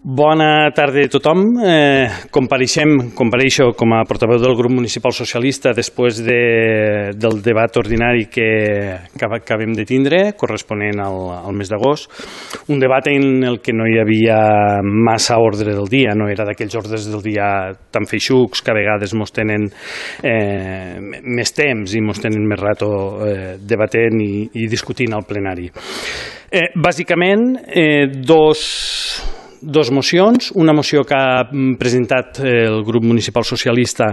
Bona tarda a tothom. Compareixo com a portaveu del grup municipal socialista després del debat ordinari que acabem de tindre, corresponent al mes d'agost. Un debat en el que no hi havia massa ordre del dia, no era d'aquells ordres del dia tan feixucs que a vegades mos tenen més temps i mos tenen més rato debatent i discutint al plenari. Bàsicament, dos mocions, una moció que ha presentat el grup municipal socialista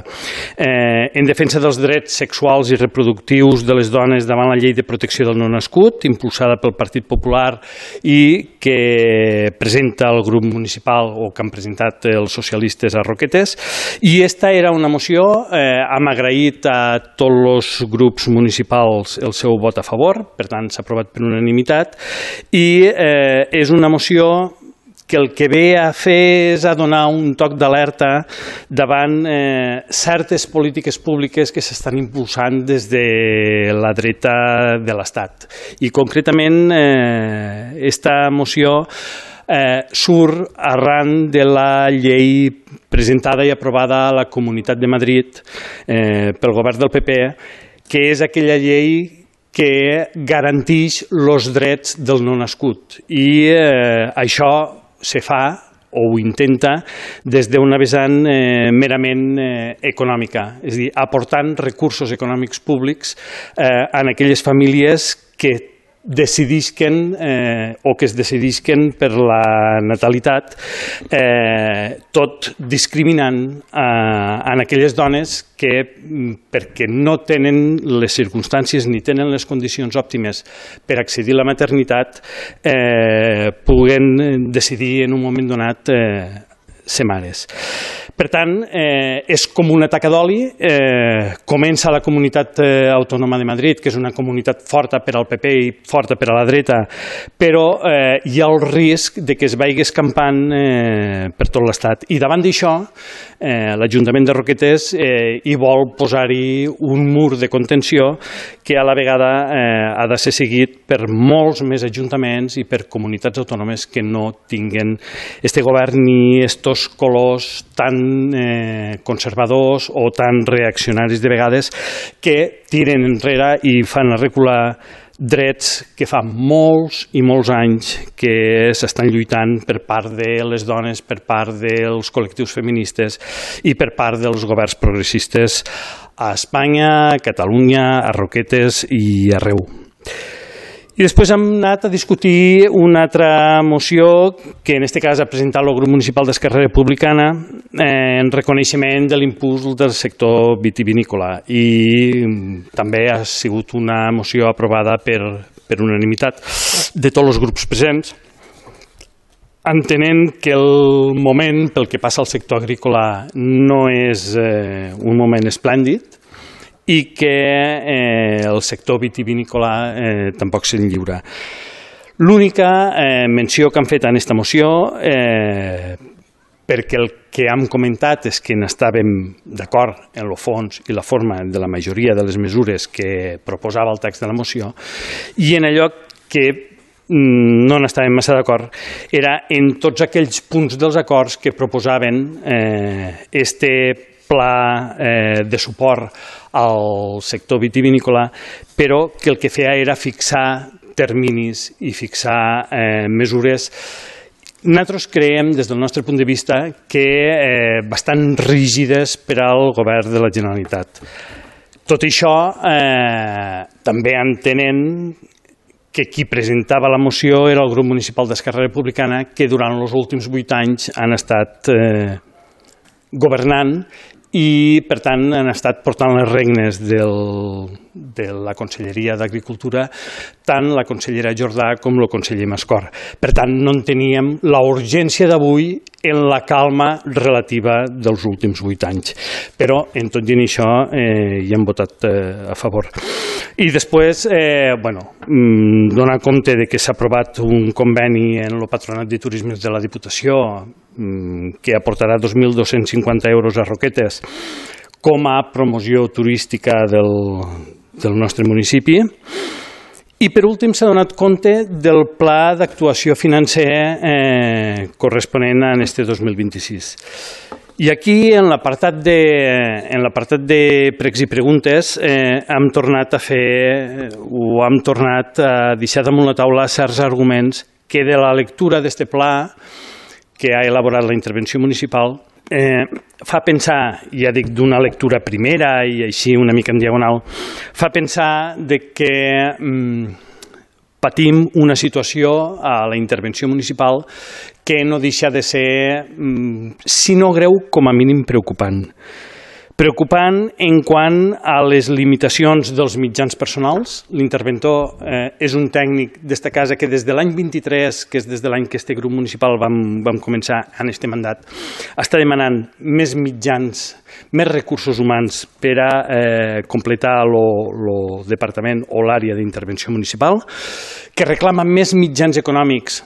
en defensa dels drets sexuals i reproductius de les dones davant la llei de protecció del no nascut, impulsada pel Partit Popular i que presenta el grup municipal o que han presentat els socialistes a Roquetes. I esta era una moció, hem agraït a tots els grups municipals el seu vot a favor, per tant s'ha aprovat per unanimitat, i és una moció que el que ve a fer és a donar un toc d'alerta davant certes polítiques públiques que s'estan impulsant des de la dreta de l'Estat. I concretament, esta moció surt arran de la llei presentada i aprovada a la Comunitat de Madrid pel govern del PP, que és aquella llei que garanteix els drets del no nascut. I això se fa o ho intenta des d'una vessant merament econòmica, és a dir, aportant recursos econòmics públics en aquelles famílies que decidisquen o que es decidisquen per la natalitat, tot discriminant en aquelles dones que, perquè no tenen les circumstàncies ni tenen les condicions òptimes per accedir a la maternitat, puguen decidir en un moment donat ser mares. Per tant, és com una taca d'oli. Comença a la Comunitat Autònoma de Madrid, que és una comunitat forta per al PP i forta per a la dreta, però hi ha el risc de que es vagi escampant per tot l'Estat. I davant d'això, l'Ajuntament de Roquetes hi vol posar-hi un mur de contenció que a la vegada ha de ser seguit per molts més ajuntaments i per comunitats autònomes que no tinguen este govern ni estos colors tan conservadors o tan reaccionaris de vegades que tiren enrere i fan recular drets que fa molts i molts anys que s'estan lluitant per part de les dones, per part dels col·lectius feministes i per part dels governs progressistes a Espanya, a Catalunya, a Roquetes i arreu. I després hem anat a discutir una altra moció que en aquest cas ha presentat el grup municipal d'Esquerra Republicana en reconeixement de l'impuls del sector vitivinícola i també ha sigut una moció aprovada per unanimitat de tots els grups presents, entenent que el moment pel que passa al sector agrícola no és un moment esplèndid i que el sector vitivinícola tampoc se'n lliura. L'única menció que han fet en aquesta moció, perquè el que hem comentat és que n'estàvem d'acord en el fons i la forma de la majoria de les mesures que proposava el text de la moció, i en allò que no n'estàvem massa d'acord era en tots aquells punts dels acords que proposaven este pla de suport al sector vitivinícola, però que el que feia era fixar terminis i fixar mesures. Nosaltres creiem, des del nostre punt de vista, que bastant rígides per al govern de la Generalitat. Tot això també entenent que qui presentava la moció era el grup municipal d'Esquerra Republicana, que durant els últims 8 anys han estat governant i, per tant, han estat portant les regnes de la Conselleria d'Agricultura tant la consellera Jordà com el conseller Mascor. Per tant, no en teníem la urgència d'avui en la calma relativa dels últims 8 anys. Però, en tot i això, hi hem votat a favor. I després, donar compte que s'ha aprovat un conveni en el Patronat de Turisme de la Diputació que aportarà 2.250 euros a Roquetes com a promoció turística del nostre municipi I per últim s'ha donat compte del pla d'actuació financer corresponent a este 2026. I aquí, en l'apartat de pregs i preguntes, hem tornat a deixar damunt la taula certs arguments que de la lectura d'este pla que ha elaborat la intervenció municipal fa pensar, ja dic d'una lectura primera i així una mica en diagonal, fa pensar que patim una situació a la intervenció municipal que no deixa de ser, si no greu, com a mínim preocupant. Preocupant en quant a les limitacions dels mitjans personals. L'interventor és un tècnic d'esta casa que des de l'any 23, que és des de l'any que este grup municipal vam començar en este mandat, està demanant més mitjans, més recursos humans per a completar el departament o l'àrea d'intervenció municipal, que reclama més mitjans econòmics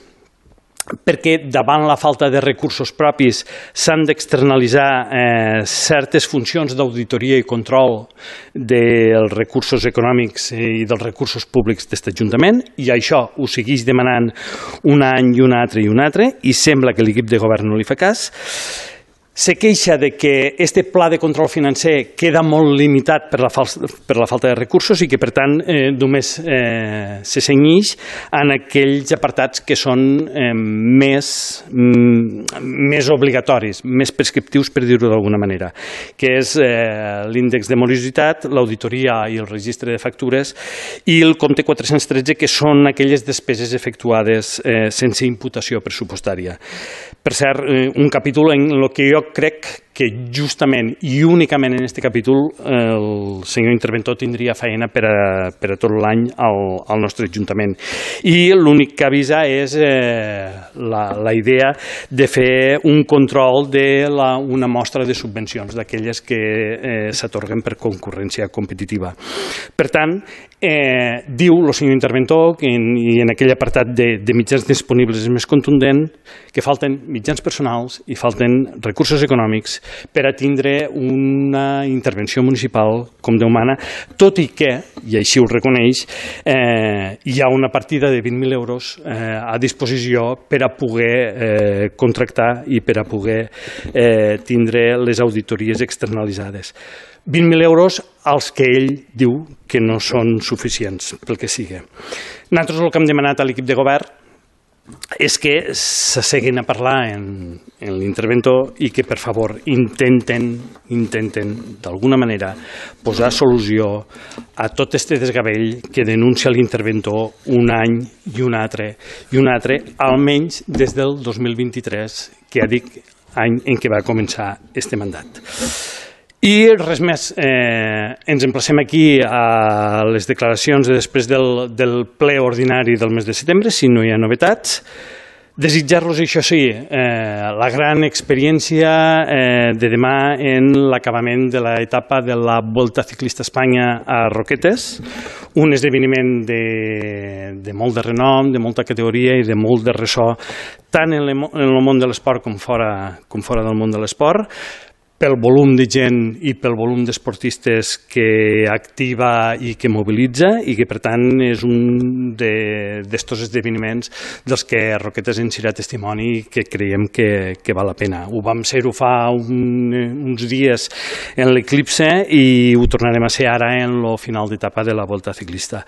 perquè davant la falta de recursos propis s'han d'externalitzar certes funcions d'auditoria i control dels recursos econòmics i dels recursos públics d'aquest Ajuntament, i això ho segueix demanant un any i un altre, i sembla que l'equip de govern no li fa cas. Se queixa de que este pla de control financer queda molt limitat per la falta de recursos i que, per tant, només se cenyeix en aquells apartats que són més obligatoris, més prescriptius, per dir-ho d'alguna manera, que és l'índex de morositat, l'auditoria i el registre de factures i el compte 413, que són aquelles despeses efectuades sense imputació pressupostària. Per cert, un capítol en el que jo crec que justament i únicament en aquest capítol el senyor interventor tindria feina per a tot l'any al nostre Ajuntament. I l'únic que avisa és la idea de fer un control d'una mostra de subvencions, d'aquelles que s'atorguen per concurrència competitiva. Per tant, diu el senyor interventor, i en aquell apartat de mitjans disponibles és més contundent, que falten mitjans personals i falten recursos econòmics per a tindre una intervenció municipal com Déu mana, tot i que, i així ho reconeix, hi ha una partida de 20.000 euros a disposició per a poder contractar i per a poder tindre les auditories externalitzades. 20.000 euros als que ell diu que no són suficients, pel que sigui. Nosaltres el que hem demanat a l'equip de govern és que s'asseguin a parlar en l'interventor i que, per favor, intenten d'alguna manera posar solució a tot este desgavell que denuncia l'interventor un any i un altre, almenys des del 2023, que ja dic, any en què va començar este mandat. I res més, ens emplacem aquí a les declaracions després del ple ordinari del mes de setembre, si no hi ha novetats. Desitjar-los, això sí, la gran experiència de demà en l'acabament de l'etapa de la Volta Ciclista a Espanya a Roquetes, un esdeveniment de molt de renom, de molta categoria i de molt de ressò, tant en el món de l'esport com fora del món de l'esport, pel volum de gent i pel volum d'esportistes que activa i que mobilitza, i que per tant és un d'estos esdeveniments dels que Roquetes ens serà testimoni i que creiem que val la pena. Ho vam ser-ho fa uns dies en l'Eclipse i ho tornarem a ser ara en el final d'etapa de la Volta Ciclista.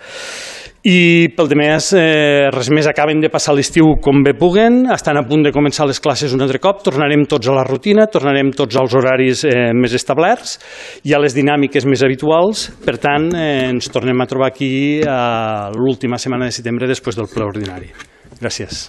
I pel demés, res més, acaben de passar l'estiu com bé puguen, estan a punt de començar les classes un altre cop, tornarem tots a la rutina, tornarem tots als horaris més establerts i a les dinàmiques més habituals. Per tant, ens tornem a trobar aquí a l'última setmana de setembre després del ple ordinari. Gràcies.